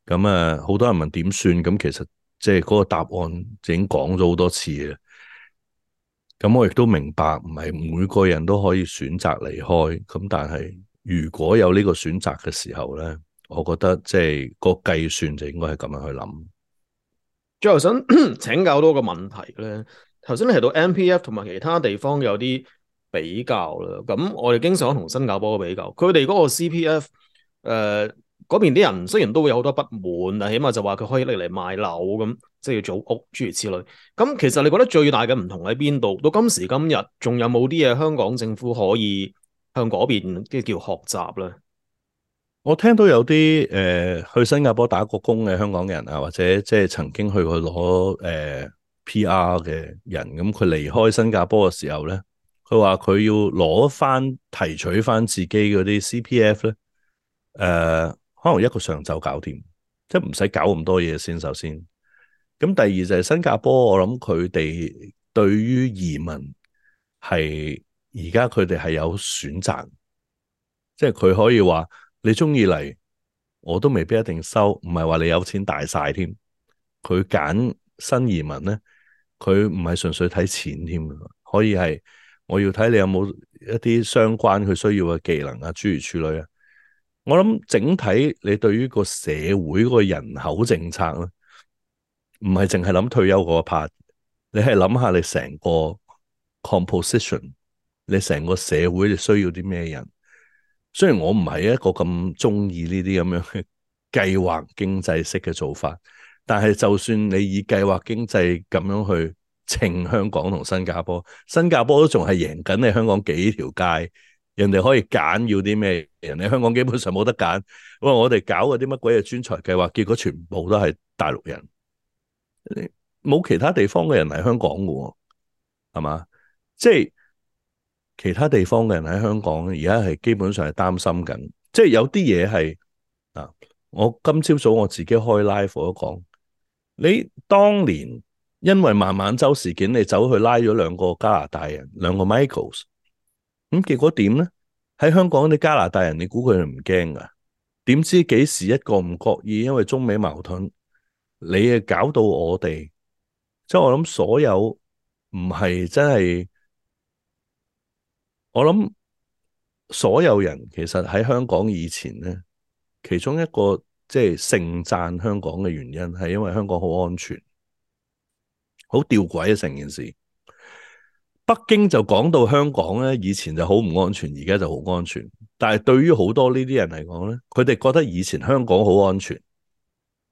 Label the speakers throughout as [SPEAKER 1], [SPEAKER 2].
[SPEAKER 1] 咁啊，好多人問點算，咁其實即係嗰個答案已經講咗好多次嘅。咁我亦都明白，唔係每個人都可以選擇離開。咁但係如果有呢個選擇嘅時候咧，我覺得即係個計算就應該係咁樣去諗。
[SPEAKER 2] 最後想請教多個問題咧，頭先你提到 MPF 同埋其他地方有啲比較啦，咁我哋經常同新加坡比較，佢哋嗰個 CPF 嗰邊啲人雖然都會有好多不滿，但起碼就話佢可以拎嚟買樓咁，即係要組屋諸如此類。咁其實你覺得最大嘅唔同喺邊度？到今時今日，仲有冇啲嘢香港政府可以向嗰邊即係叫學習咧？
[SPEAKER 1] 我聽到有啲去新加坡打過工嘅香港人啊，或者即係曾經去過攞PR 嘅人，咁佢離開新加坡嘅時候咧，佢話佢要攞翻提取翻自己嗰啲 CPF 咧，可能一個上晝搞掂，即係唔使搞咁多嘢先。首先，咁第二就係新加坡，我諗佢哋對於移民係而家佢哋係有選擇。即係佢可以話你中意嚟，我都未必一定收，唔係話你有錢大晒添。佢揀新移民咧，佢唔係純粹睇錢添，可以係我要睇你有冇一啲相關佢需要嘅技能啊，諸如此類啊。我諗整體你對於個社會個人口政策咧，唔係淨係諗退休嗰一 part，你係諗下你成個 composition，你成個社會你需要啲咩人。雖然我唔係一個咁中意呢啲咁樣嘅計劃經濟式嘅做法，但係就算你以計劃經濟咁樣去稱香港同新加坡，新加坡都仲係贏緊你香港幾條街，人哋可以揀要啲咩，人哋香港基本上冇得揀。喂，我哋搞嗰啲乜鬼嘢專才計劃，結果全部都係大陸人，冇其他地方嘅人嚟香港嘅，係嘛？即係其他地方嘅人喺香港而家係基本上係擔心緊，即係有啲嘢係啊，我今朝早我自己開 live 我都講，你當年因為孟晚舟事件，你走去拉咗兩個加拿大人，兩個 Michaels，咁結果點咧？喺香港啲加拿大人，你估佢哋唔驚噶？點知幾時一個唔覺意，因為中美矛盾，你誒搞到我哋，即係我諗所有唔係真係。我諗所有人其實喺香港以前咧，其中一個即係盛讚香港嘅原因係因為香港好安全，好吊詭啊成件事。北京就講到香港咧，以前就好唔安全，而家就好安全。但係對於好多呢啲人嚟講咧，佢哋覺得以前香港好安全，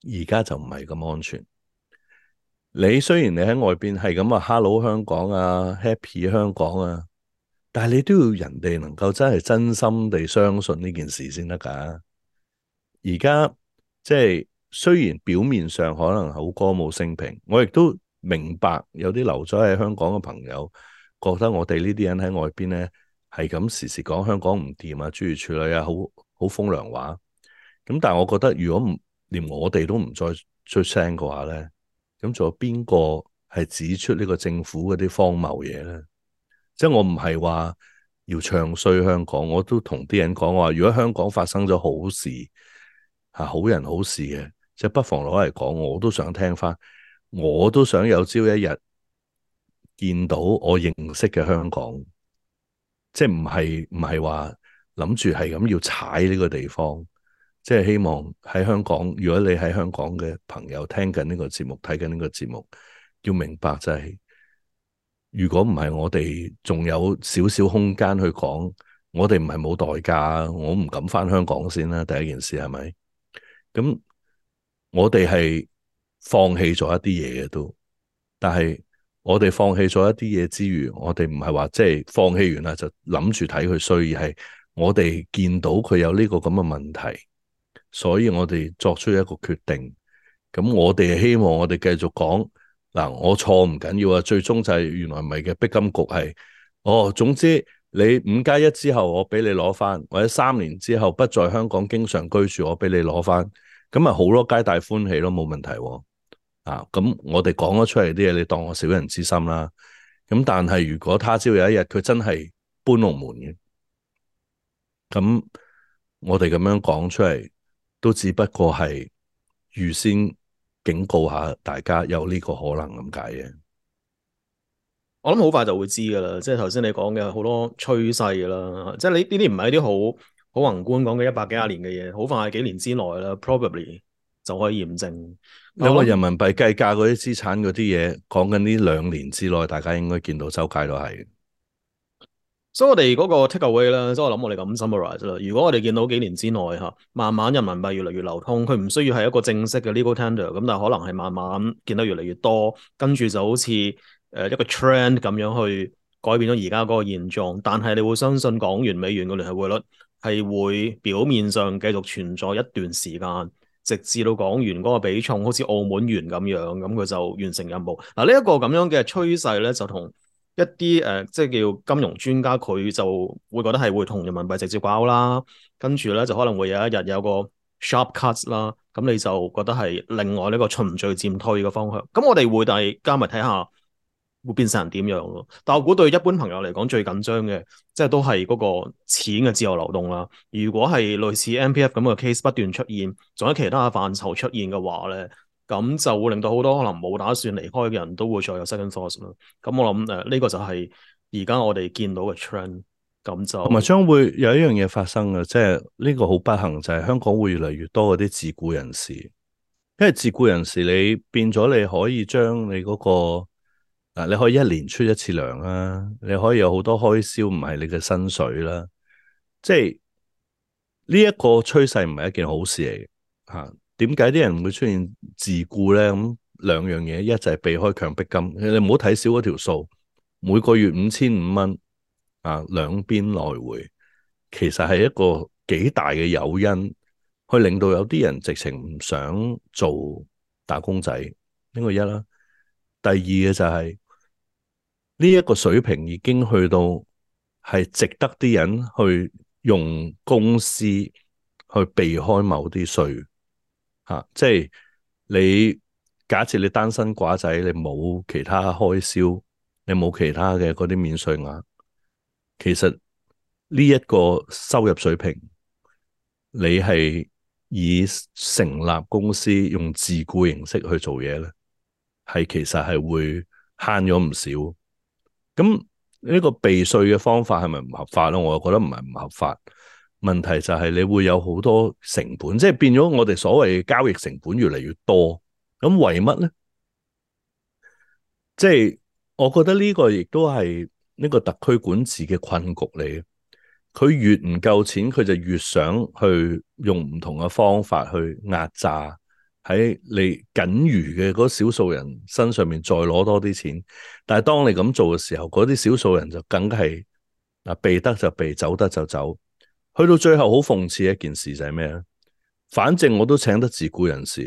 [SPEAKER 1] 而家就唔係咁安全。你雖然你喺外邊係咁啊，Hello 香港啊，Happy 香港啊，但係你都要人哋能夠真係真心地相信呢件事先得㗎。而家即係雖然表面上可能好歌舞升平，我亦都明白有啲留咗喺香港嘅朋友覺得我哋呢啲人喺外邊咧係咁時時講香港唔掂啊，諸如此類啊，好風涼話。咁但係我覺得如果唔連我哋都唔再出聲嘅話咧，咁仲有邊個係指出呢個政府嗰啲荒謬嘢咧？即係我唔係話要唱衰香港，我都同啲人講話，如果香港發生咗好事，好人好事嘅，即係不妨攞嚟講，我都想聽翻，我都想有朝一日見到我認識嘅香港，即係唔係話諗住係咁要踩呢個地方，即係希望喺香港，如果你喺香港嘅朋友聽緊呢個節目，睇緊呢個節目，要明白就係、如果唔係我哋仲有少少空間去講，我哋唔係冇代價，我唔敢翻香港先啦。第一件事係咪？咁我哋係放棄咗一啲嘢嘅都，但係我哋放棄咗一啲嘢之餘，我哋唔係話即係放棄完啦就諗住睇佢衰，而係我哋見到佢有呢個咁嘅問題，所以我哋作出一個決定。咁我哋希望我哋繼續講嗱，我錯唔緊要啊，最終就係原來唔係嘅，逼金局係總之你5+1之後，我俾你攞翻，或者3年之後不在香港經常居住，我俾你攞翻，咁咪好咯，皆大歡喜咯，冇問題喎。咁我哋講咗出嚟啲嘢，你當我小人之心啦。咁但係如果他朝有一日佢真係搬龍門嘅，咁我哋咁樣講出嚟，都只不過係預先警告下大家有呢個可能咁解嘅。
[SPEAKER 2] 我諗好快就會知噶啦，即係頭先你講嘅好多趨勢啦，即係你呢啲唔係一啲好宏觀講嘅100幾廿年嘅嘢，好快幾年之內啦，probably 就可以驗證。
[SPEAKER 1] 你話
[SPEAKER 2] 但我諗，
[SPEAKER 1] 人民幣計價嗰啲資產嗰啲嘢，講緊呢2年之內，大家應該見到周街都係。
[SPEAKER 2] 所以我哋嗰個 take away 啦，即係我諗我哋咁 summarize 啦。如果我哋見到幾年之內慢慢人民幣越嚟越流通，佢唔需要係一個正式嘅 legal tender，咁但係可能係慢慢見得越嚟越多，跟住就好似一個 trend 咁樣去改變咗而家嗰個現狀。但係你會相信港元美元嘅聯繫匯率係會表面上繼續存在一段時間，直至到港元嗰個比重好似澳門元咁樣，咁佢就完成任務。嗱，呢一個咁樣嘅趨勢咧，就同一啲即係叫金融專家，佢就會覺得係會同人民幣直接掛鈎啦，跟住咧就可能會有一日有個 sharp cuts 啦，咁你就覺得係另外呢個循序漸退嘅方向。咁我哋會大家咪睇下會變成點樣咯。但我估對一般朋友嚟講最緊張嘅，即係都係嗰個錢嘅自由流動啦。如果係類似 MPF 咁嘅 case 不斷出現，仲有其他嘅範疇出現嘅話咧，咁就會令到好多可能冇打算離開嘅人都會再有 second thoughts 啦。咁我諗呢個就係而家我哋見到嘅 trend。咁
[SPEAKER 1] 同埋
[SPEAKER 2] 就
[SPEAKER 1] 將會有一樣嘢發生嘅，即係呢個好不幸就係香港會越嚟越多嗰啲自僱人士，因為自僱人士你變咗你可以將你嗰個你可以1年出1次糧啦，你可以有好多開銷唔係你嘅薪水啦，即係呢一個趨勢唔係一件好事嚟嘅嚇。點解啲人會出現自僱咧？咁兩樣嘢，一就係避開強迫金，你唔好睇少嗰條數，每個月5500蚊兩邊來回，其實係一個幾大嘅誘因，去令到有啲人直情唔想做打工仔。呢個一啦，第二嘅就係呢一個水平已經去到係值得啲人去用公司去避開某啲稅即係你假設你單身寡仔，你冇其他開銷，你冇其他嘅嗰啲免稅額，其實呢一個收入水平，你係以成立公司用自僱形式去做嘢咧，係其實係會慳咗唔少。咁呢個避稅嘅方法係咪唔合法咧？我又覺得唔係唔合法。問題就係你會有好多成本，即係變咗我哋所謂嘅交易成本越嚟越多。咁為乜咧？即係我覺得呢個亦都係呢個特區管治嘅困局嚟嘅。佢越唔夠錢，佢就越想去用唔同嘅方法去壓榨喺你僅餘嘅嗰少數人身上面再攞多啲錢。但係當你咁做嘅時候，嗰啲少數人就梗係避得就避，走得就走。去到最後好諷刺一件事就係咩咧？反正我都請得自僱人士，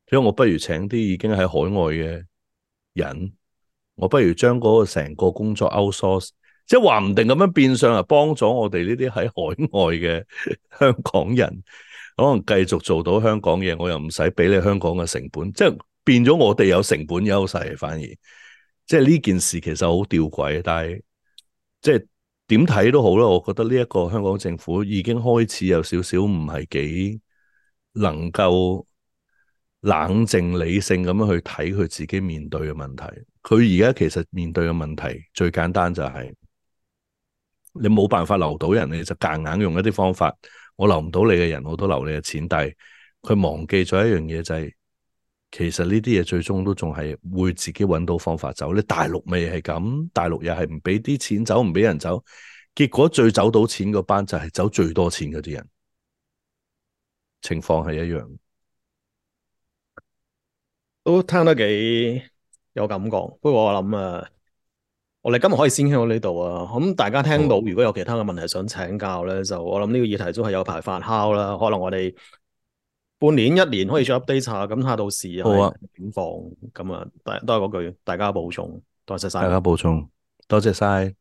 [SPEAKER 1] 所以我不如請啲已經喺海外嘅人，我不如將嗰個成個工作 outsource，即係話唔定咁樣變相啊，幫咗我哋呢啲喺海外嘅香港人，可能繼續做到香港嘢，我又唔使俾你香港嘅成本，即係變咗我哋有成本優勢，反而即係呢件事其實好吊詭，但係即係點睇都好啦，我覺得呢一個香港政府已經開始有少少唔係幾能夠冷靜理性咁樣去睇佢自己面對嘅問題。佢而家其實面對嘅問題最簡單就係你冇辦法留到人，你就夾硬用一啲方法，我留唔到你嘅人，我都留你嘅錢。但係佢忘記咗一樣嘢就係，其實呢啲嘢最終都仲係會自己揾到方法走。你大陸咪係咁，大陸又係唔俾啲錢走，唔俾人走，結果最走到錢嗰班就係走最多錢嗰啲人，情況係一樣。
[SPEAKER 2] 都聽得幾有感覺。不過我諗我哋今日可以先傾到呢度啊。咁大家聽到
[SPEAKER 1] 好
[SPEAKER 2] 如果有其他嘅問題想請教咧，就我諗呢個議題都係有排發酵啦。可能我哋半年一年可以再 update 下，咁睇下到時係
[SPEAKER 1] 好啊，
[SPEAKER 2] 點放。咁都係嗰句，大家保重，多謝晒。
[SPEAKER 1] 大家補充，多謝晒。